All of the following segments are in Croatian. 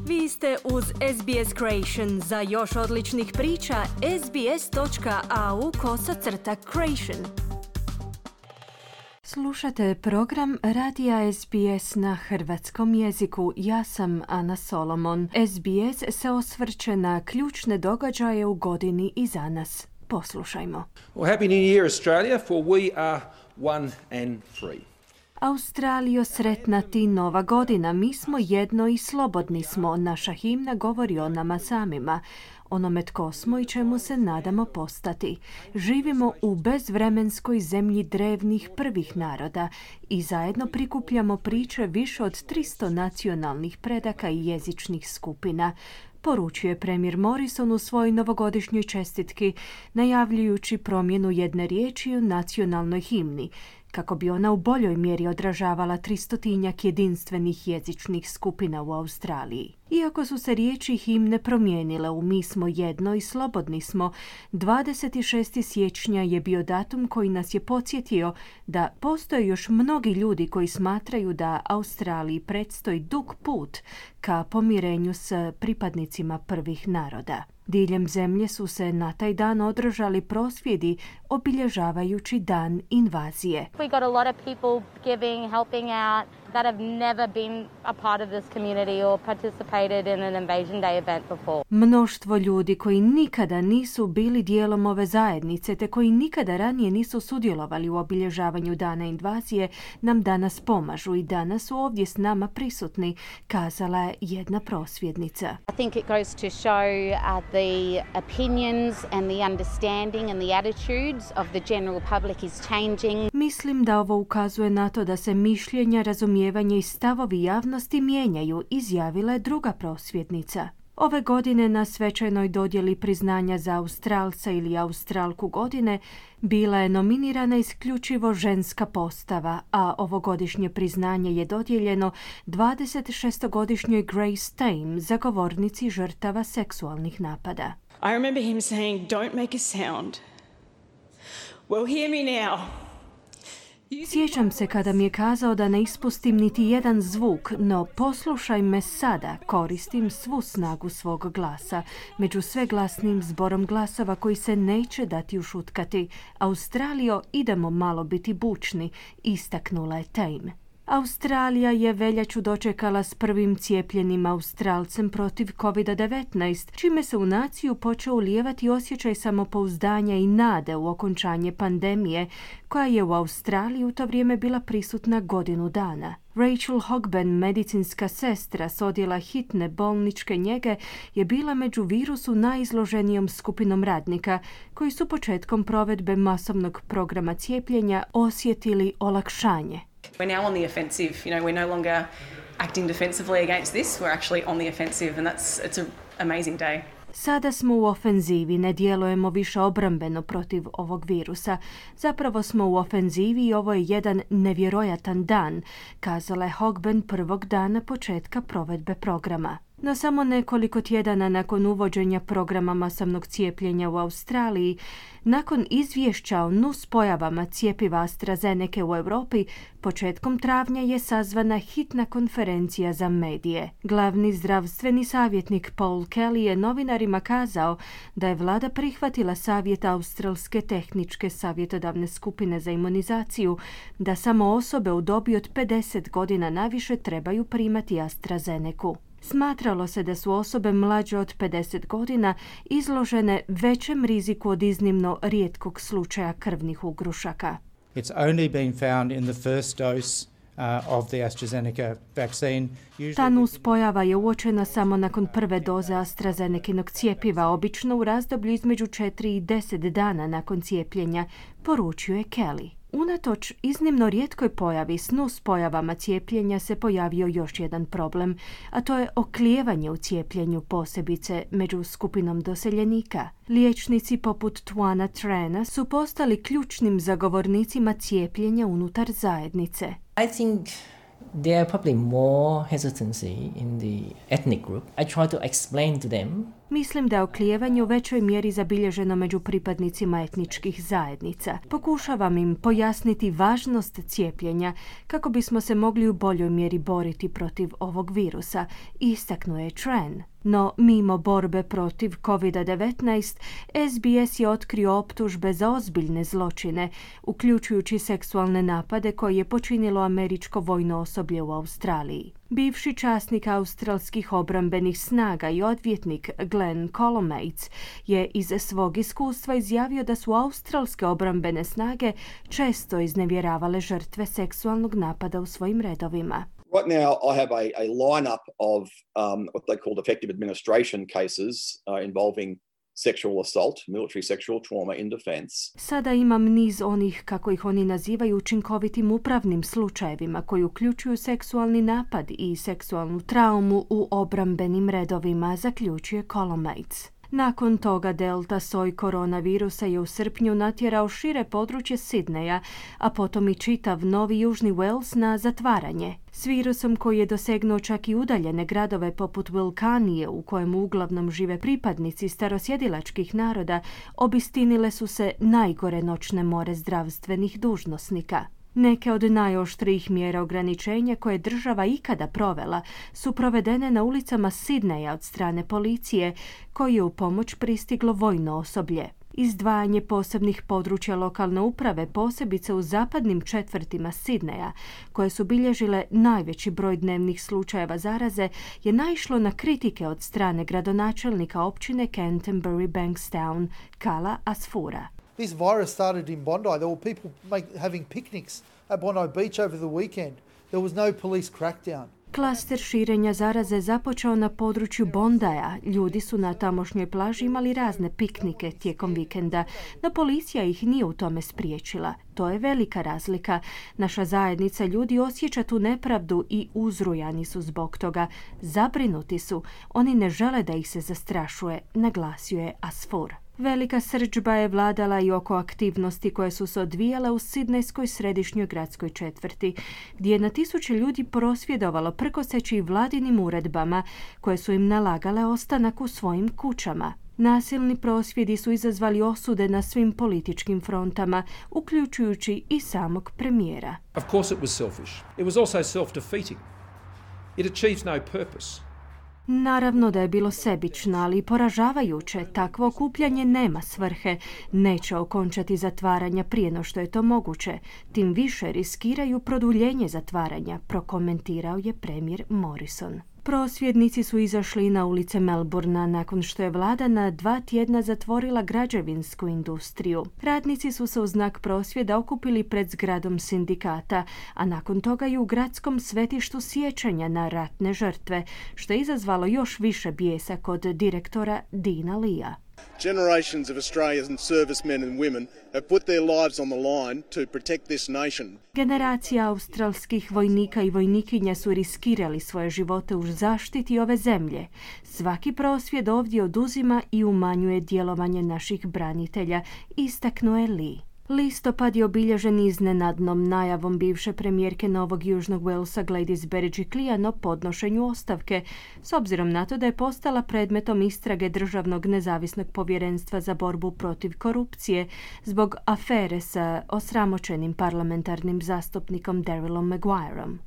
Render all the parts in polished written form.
Vi ste uz SBS Creation. Za još odličnih priča, sbs.au/creation. Slušate program Radija SBS na hrvatskom jeziku. Ja sam Ana Solomon. SBS se osvrće na ključne događaje u godini iza nas. Poslušajmo. Well, Happy New Year, Australia, for we are one and free. Australijo, sretna ti nova godina. Mi smo jedno i slobodni smo. Naša himna govori o nama samima, onome tko smo i čemu se nadamo postati. Živimo u bezvremenskoj zemlji drevnih prvih naroda i zajedno prikupljamo priče više od 300 nacionalnih predaka i jezičnih skupina, poručuje premijer Morrison u svojoj novogodišnjoj čestitki, najavljujući promjenu jedne riječi u nacionalnoj himni, kako bi ona u boljoj mjeri odražavala 300-tinjak jedinstvenih jezičnih skupina u Australiji. Iako su se riječi himne promijenile u Mi smo jedno i slobodni smo, 26. siječnja je bio datum koji nas je podsjetio da postoje još mnogi ljudi koji smatraju da Australiji predstoji dug put ka pomirenju s pripadnicima prvih naroda. Diljem zemlje su se na taj dan održali prosvjedi obilježavajući dan invazije. We got a lot of people giving, helping out that have never been a part of this community or participated in an Invasion Day event before. Mnoštvo ljudi koji nikada nisu bili dijelom ove zajednice te koji nikada ranije nisu sudjelovali u obilježavanju dana invazije nam danas pomažu i danas su ovdje s nama prisutni, kazala je jedna prosvjednica. I think it goes to show the opinions and the understanding and the attitudes of the general public is changing. Mislim da ovo ukazuje na to da se mišljenja, razumijevanje i stavovi javnosti mijenjaju, izjavila je druga prosvjednica. Ove godine na svečanoj dodjeli priznanja za Australca ili Australku godine bila je nominirana isključivo ženska postava, a ovogodišnje priznanje je dodijeljeno 26-godišnjoj Grace Tame, zagovornici žrtava seksualnih napada. I remember him saying, "Don't make a sound. Well, hear me now." Sjećam se kada mi je kazao da ne ispustim niti jedan zvuk, no poslušaj me sada, koristim svu snagu svog glasa, među sveglasnim zborom glasova koji se neće dati ušutkati. Australijo, idemo malo biti bučni, istaknula je Tame. Australija je veljaču dočekala s prvim cijepljenim Australcem protiv COVID-19, čime se u naciju počeo ulijevati osjećaj samopouzdanja i nade u okončanje pandemije, koja je u Australiji u to vrijeme bila prisutna godinu dana. Rachel Hogben, medicinska sestra s odjela hitne bolničke njege, je bila među virusu najizloženijom skupinom radnika, koji su početkom provedbe masovnog programa cijepljenja osjetili olakšanje. We're now on the offensive. We're no longer acting defensively against this. We're actually on the offensive, and it's an amazing day. Sada smo u ofenzivi, ne djelujemo više obrambeno protiv ovog virusa. Zapravo smo u ofenzivi i ovo je jedan nevjerojatan dan, kazala je Hogben prvog dana početka provedbe programa. No samo nekoliko tjedana nakon uvođenja programa masovnog cijepljenja u Australiji, nakon izvješća o nuspojavama cjepiva AstraZeneca u Europi, početkom travnja je sazvana hitna konferencija za medije. Glavni zdravstveni savjetnik Paul Kelly je novinarima kazao da je vlada prihvatila savjet Australske tehničke savjetodavne skupine za imunizaciju da samo osobe u dobi od 50 godina naviše trebaju primati AstraZenecu. Smatralo se da su osobe mlađe od 50 godina izložene većem riziku od iznimno rijetkog slučaja krvnih ugrušaka. It's only been found in the first dose of the AstraZeneca vaccine. Ta nuspojava je uočena samo nakon prve doze AstraZenekinog cijepiva, obično u razdoblju između 4 i 10 dana nakon cijepljenja, poručio je Kelly. Unatoč iznimno rijetkoj pojavi s nuspojavama cijepljenja se pojavio još jedan problem, a to je oklijevanje u cijepljenju, posebice među skupinom doseljenika. Liječnici poput Tuana Trena su postali ključnim zagovornicima cijepljenja unutar zajednice. I think there are probably more hesitancy in the ethnic group. I try to explain to them Mislim da je oklijevanje u većoj mjeri zabilježeno među pripadnicima etničkih zajednica. Pokušavam im pojasniti važnost cijepljenja kako bismo se mogli u boljoj mjeri boriti protiv ovog virusa, istaknuo je Tran. No, mimo borbe protiv COVID-19, SBS je otkrio optužbe za ozbiljne zločine, uključujući seksualne napade koje je počinilo američko vojno osoblje u Australiji. Bivši časnik australskih obrambenih snaga i odvjetnik Glenn Colomates je iz svog iskustva izjavio da su australske obrambene snage često iznevjeravale žrtve seksualnog napada u svojim redovima. Right now, I have a lineup of what they call effective administration cases involving sexual assault, military sexual trauma in defense. Sada imam niz onih, kako ih oni nazivaju, učinkovitim upravnim slučajevima koji uključuju seksualni napad i seksualnu traumu u obrambenim redovima, zaključuje Colomates. Nakon toga delta soj koronavirusa je u srpnju natjerao šire područje Sidneja, a potom i čitav Novi Južni Wales na zatvaranje. S virusom koji je dosegnuo čak i udaljene gradove poput Wilcanije, u kojemu uglavnom žive pripadnici starosjedilačkih naroda, obistinile su se najgore noćne more zdravstvenih dužnosnika. Neke od najoštrijih mjera ograničenja koje je država ikada provela su provedene na ulicama Sidneja od strane policije, koji je u pomoć pristiglo vojno osoblje. Izdvajanje posebnih područja lokalne uprave, posebice u zapadnim četvrtima Sidneja, koje su bilježile najveći broj dnevnih slučajeva zaraze, je naišlo na kritike od strane gradonačelnika općine Canterbury Bankstown, Kala Asfura. This virus started in Bondi. There were people having picnics at Bondi Beach over the weekend. There was no police crackdown. Klaster širenja zaraze započeo na području Bondaja. Ljudi su na tamošnjoj plaži imali razne piknike tijekom vikenda, no policija ih nije u tome spriječila. To je velika razlika. Naša zajednica ljudi osjeća tu nepravdu i uzrujani su zbog toga. Zabrinuti su. Oni ne žele da ih se zastrašuje, naglasio je Asfur. Velika srdžba je vladala i oko aktivnosti koje su se odvijale u sidnejskoj središnjoj gradskoj četvrti, gdje je na tisuće ljudi prosvjedovalo prkoseći vladinim uredbama koje su im nalagale ostanak u svojim kućama. Nasilni prosvjedi su izazvali osude na svim političkim frontama, uključujući i samog premijera. Of course it was selfish. It was also self-defeating. It achieves no purpose. Naravno da je bilo sebično, ali i poražavajuće. Takvo okupljanje nema svrhe. Neće okončati zatvaranja prije no što je to moguće. Tim više riskiraju produljenje zatvaranja, prokomentirao je premijer Morrison. Prosvjednici su izašli na ulice Melbournea nakon što je vlada na 2 tjedna zatvorila građevinsku industriju. Radnici su se u znak prosvjeda okupili pred zgradom sindikata, a nakon toga i u gradskom svetištu sjećanja na ratne žrtve, što je izazvalo još više bijesa kod direktora Deana Leea. Generations of Australian servicemen and women have put their lives on the line to protect this nation. Generacija australskih vojnika i vojnikinja su riskirali svoje živote u zaštiti ove zemlje. Svaki prosvjed ovdje oduzima i umanjuje djelovanje naših branitelja, istaknuo je Lee. Listopad je obilježen iznenadnom najavom bivše premijerke Novog Južnog Walesa Gladys Berejiklian o podnošenju ostavke, s obzirom na to da je postala predmetom istrage Državnog nezavisnog povjerenstva za borbu protiv korupcije zbog afere sa osramoćenim parlamentarnim zastupnikom Darylom Maguireom.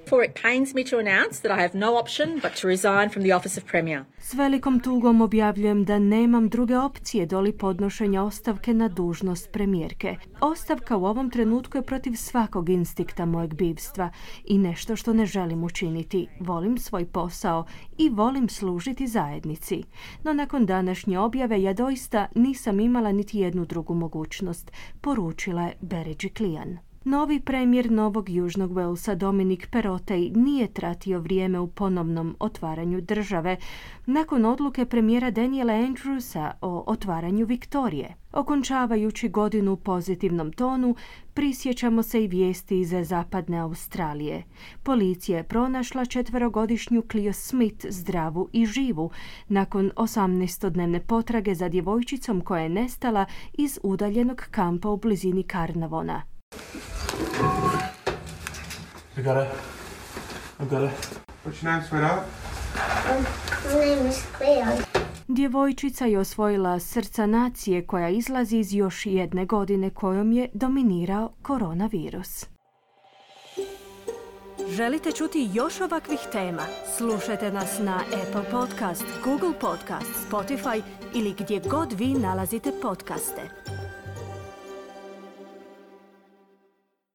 For it pains me to announce that I have no option but to resign from the office of Premier. S velikom tugom objavljujem da nemam druge opcije doli podnošenja ostavke na dužnost premijerke. Ostavka u ovom trenutku je protiv svakog instinkta mojeg bivstva i nešto što ne želim učiniti. Volim svoj posao i volim služiti zajednici. No nakon današnje objave ja doista nisam imala niti jednu drugu mogućnost, poručila je Berejiklian. Novi premijer Novog Južnog Walesa Dominic Perrottet nije tratio vrijeme u ponovnom otvaranju države nakon odluke premijera Daniela Andrewsa o otvaranju Viktorije. Okončavajući godinu u pozitivnom tonu, prisjećamo se i vijesti iz zapadne Australije. Policija je pronašla 4-godišnju Clio Smith zdravu i živu nakon 18-dnevne potrage za djevojčicom koja je nestala iz udaljenog kampa u blizini Carnarvona. I got it. I've got it. What's your name, sweetheart? My name is Cleo. Djevojčica je osvojila srca nacije koja izlazi iz još jedne godine kojom je dominirao koronavirus. Želite čuti još ovakvih tema? Slušajte nas na Apple Podcast, Google Podcast, Spotify ili gdje god vi nalazite podcaste.